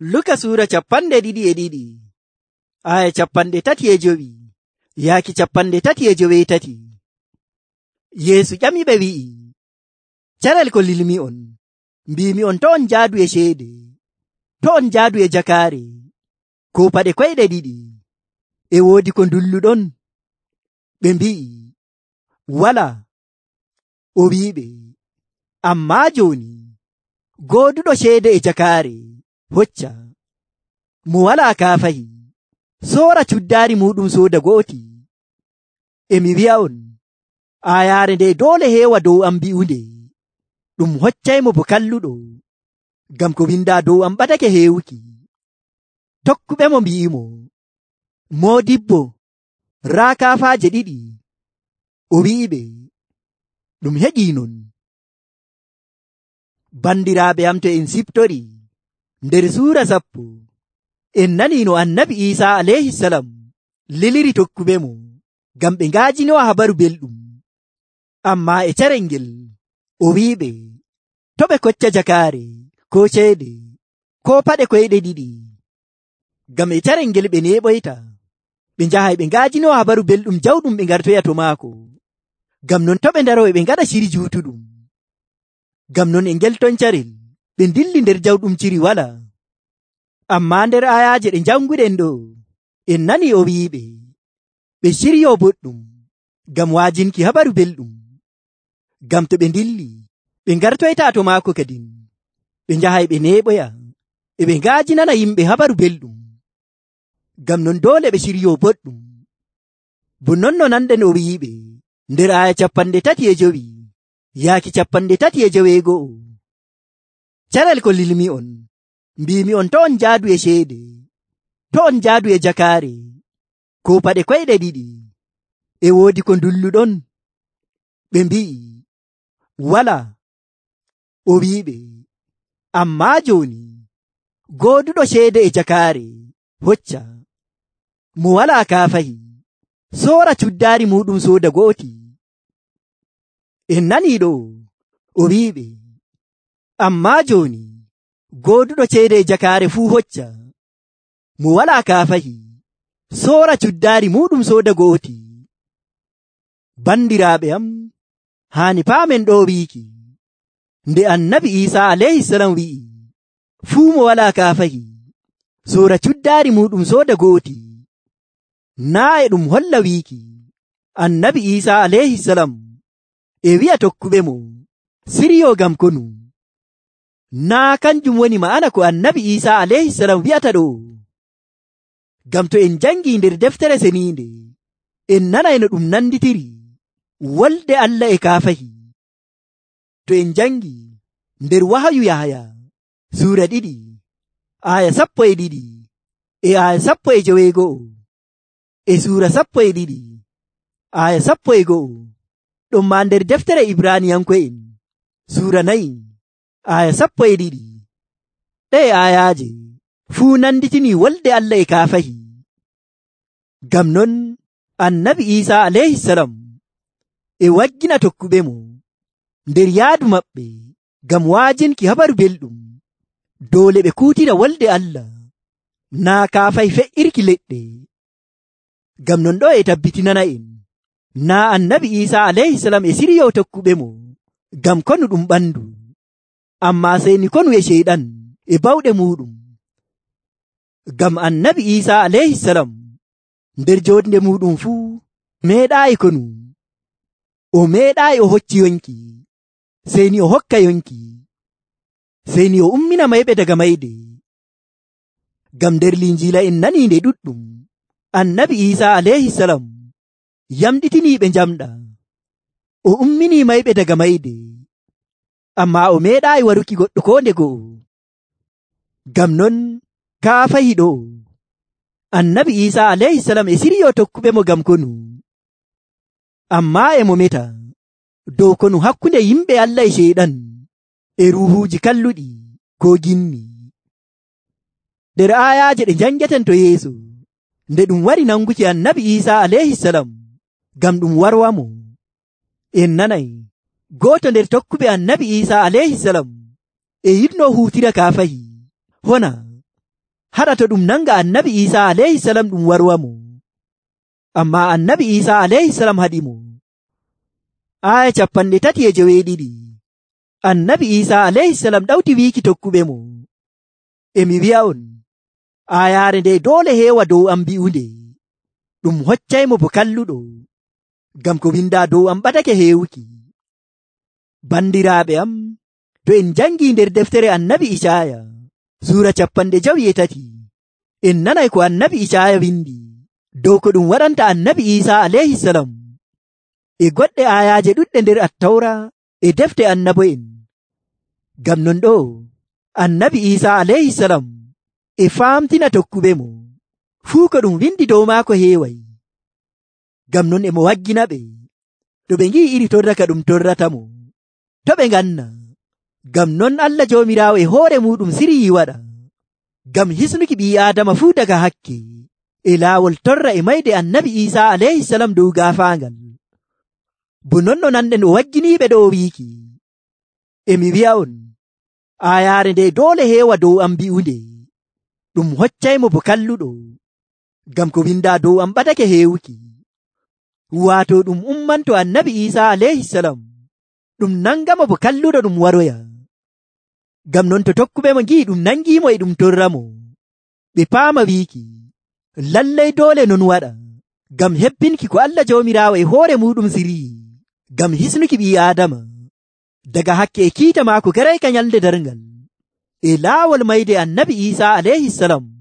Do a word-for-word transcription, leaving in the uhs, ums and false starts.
Luka suura capanɗe ɗiɗi e ɗiɗi aya capanɗe tati e jowi yaaki capanɗe tati e joweetati. Yeesu ƴamiɓe wi'i, carel ko lilmi on, mbimi on to on njaadu e ceede, to on njaadu e jakaare, ko paɗe koyɗe ɗiɗi, e woodi ko ndulluɗon? Ɓe mbi'i, walaa. O wi'iɓe, ammaa jooni gooduɗo ceede e jakaare hocca, mo walaa kaafahi soora cuddaari muɗum sooda go'oti. E mi wi'a'on, aayaare nde doole heewa dow am mbi'unde, ɗum hoccaymo bo kalluɗo, ngam ko windaa dow am ɓadake heewuki. Tokkuɓemo mbi'imo, moodibbo, raa kaafaaje ɗiɗi. O wi'iɓe, ɗum heƴii non. Bandiraaɓe am, to en siftori nder suura sappo, en nanii no annabi Iisaa alayhi salam liliri tokkuɓemo ngam ɓe ngaajinowa habaru belɗum. Ammaa e carel ngel o wi'iɓe to ɓe kocca jakaare ko ceede ko paɗe koyɗe ɗiɗi, ngam e carel ngel ɓe neeɓoyta ɓe njahay ɓe ngaajinowa habaru belɗum jawɗum ɓe ngartoya to maako. Ngam non to ɓe ndaroy ɓe ngaɗa ciri juutuɗum. Ngam non e ngel ton carel ɓe dilli nder jawɗum ciri walaa. Ammaa nder ayaaje ɗe njannguɗen ɗo en nanii o wi'iɓe ɓe ciryo boɗɗum ngam waajinki habaru belɗum. Ngam to ɓe dilli ɓe ngartoyta to maako kadin ɓe njahay ɓe neeɓoya e ɓe ngaajinana yimɓe habaru belɗum. Ngam non doole ɓe ciryo boɗɗum. Bo non no nanɗen o wi'iɓe nder aya capanɗe tati e jowi yaaki capanɗe tati e joweego'o, carel ko lilmi on, mbimi on to on njaadu e ceede, to on njaadu e jakaare, ko paɗe koyɗe ɗiɗi, e woodi ko ndulluɗon? Ɓe mbi'i, walaa. O wi'iɓe, ammaa jooni gooduɗo ceede e jakaare hocca, mo walaa kaafahi soora cuddaari muɗum sooda go'oti. En nanii ɗo o wi'iɓe, ammaa jooni gooduɗo ceede e jakaare fuu hocca, mo walaa kaafahi soora cuddaari muɗum sooda go'oti. Bandiraaɓe am, haani paamen ɗo wiiki nde annabi Iisaa alayhi salam wi'i fuu mo walaa kaafahi soora cuddaari muɗum sooda go'oti, naa e ɗum holla wiiki annabi Iisaa alayhi salam e wi'a tokkuɓemo siryo ngam konu. Naa kanjum woni ma'ana ko annabi Iisaa alayhi salam wi'ata ɗo. Ngam to en jangi nder deftere seniinde en nanay no ɗum nanditiri wolde Allah e kaafahi. To en jangi nder wahayu Yahaya suura ɗiɗi aya sappo e ɗiɗi e aya sappo e joweego'o, e suura sappo e ɗiɗi aya sappo e go'o, ɗum ma nder deftere Ibraniyanko'en suura nayi aya sappo e ɗiɗi, ɗe ayaaje fuu nanditini wolde Allah e kaafahi. Ngam non annabi Iisaa alayhi salam e waggina tokkuɓemo nder yaadu maɓɓe ngam waajinki habaru belɗum, doole ɓe kuutira wolde Allah, naa kaafahi fe'irki leɗɗe. Ngam non ɗo e tabbitinana en naa annabi Iisaa alayhi salam e siryo tokkuɓemo ngam konu ɗum ɓandu, ammaa seyni konu e ceyɗan e bawɗe muɗum. Ngam annabi Iisaa alayhi salam nder joodnde muɗum fuu meeɗaayi konu, o meeɗaayi o hocci yonki, seyni o hokka yonki, seyni o ummina mayɓe daga mayde. Ngam nder Linjiila en nanii nde ɗuɗɗum annabi Iisaa alayhi salam yamɗitiniiɓe njamɗa, o umminii mayɓe daga mayde, ammaa o meeɗaayi waruki goɗɗo ko nde go'o. Ngam non kaafahi ɗo annabi Iisaa alayhi salam e siryo tokkuɓemo ngam konu, ammaa e mo meta dow konu hakkunde yimɓe Allah e ceyɗan e ruuhuuji kalluɗi ko ginni. Nder ayaaje ɗe njangeten to yeeso nde ɗum wari nanguki annabi Iisaa alayhi salam ngam ɗum warwamo, en nanay gooto nder tokkuɓe annabi Iisaa alayhi salam e yiɗno huutira kaafahi hona haɗa to ɗum nanga annabi Isa alayhi salam ɗum warwamo. Amma annabi Isa alayhi salam haɗimo. Aya capanɗe tati e joweeɗiɗi. Annabi Isa alayhi salam ɗawti wiiki tokkuɓe mo, emi wi'a on, ayaare nde doole heewa dow am bi'unde, ɗum hoccaymo bo kalluɗo, ngam ko windaa dow am ɓadake heewuki. Bandiraaɓe am, to en jangii nder deftere annabi Icaya suura capanɗe jowi e tati, en nanay ko annabi Icaya windi dow ko ɗum waɗanta annabi Isa alayhi salam e goɗɗe ayaaje ɗuɗɗe nder Attawra e defte annabo'en. Ngam non ɗo annabi Isa alayhi salam e faamtina tokkuɓe mo fuu ko ɗum windi dow maako heeway. Ngam non emo waggina ɓe to ɓe ngi'i iri torra ka ɗum torratamo, to ɓe nganna. Ngam non Allah Joomiraawo e hoore muɗum siryii waɗa ngam hisnuki ɓii Aadama fuu daga hakke e laawol torra e mayde annabi Isa alayhi salam dow gaafaangal. Bo non no nanɗen o wagginiiɓe ɗo o wiiki, emi wi'a on, ayaare nde doole heewa dow am bi'unde, ɗum hoccaymo bo kalluɗo, ngam ko windaa dow am ɓadake heewuki. Waato ɗum ummanto annabi Isa alayhi salam ɗum nangamo bo kalluɗo ɗum waroya. Ngam non to tokkuɓe mo ngi'i ɗum nangiimo e ɗum torramo, ɓe paama wiiki lallay doole non waɗa, ngam hebbinki ko Allah Joomiraawo e hoore muɗum siryii ngam hisnuki ɓii Aadama daga hakke e kiita maako garayka nyalde darngal e laawol mayde annabi Isa alayhi salam.